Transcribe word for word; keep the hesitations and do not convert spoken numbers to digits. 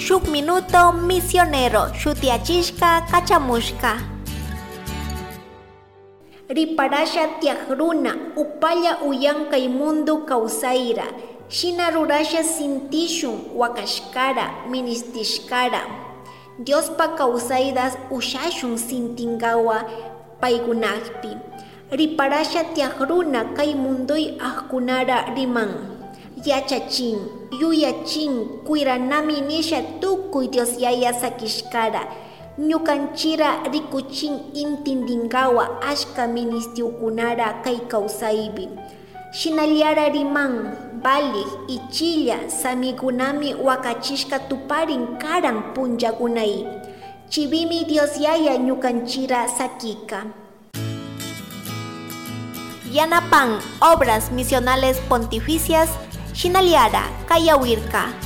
Shuk minuto misionero shutiachishka kachamushka. Riparasha tiak runa, upalla uyan kay mundo kawsayra, shina rurasha sintishun wakashkara, ministishkara. Diospa kawsayta ushashun sintinkawa paykunakpi. Riparasha tiak runa kay mundoy akkunara riman, yachachin, yuyachin, kuyranami nisha tukuy Dios Yaya sakishkara. Ñukanchira rikuchin intindinkawa ashka ministiukunara kay kawsaypi. Shinallara riman, valik, ichilla, samikunami wakachishka tuparin karan punllakunay. Chiwimi Dios Yaya ñukanchira sakika. Yanapan Obras Misionales Pontificias, shinallara kayawirka.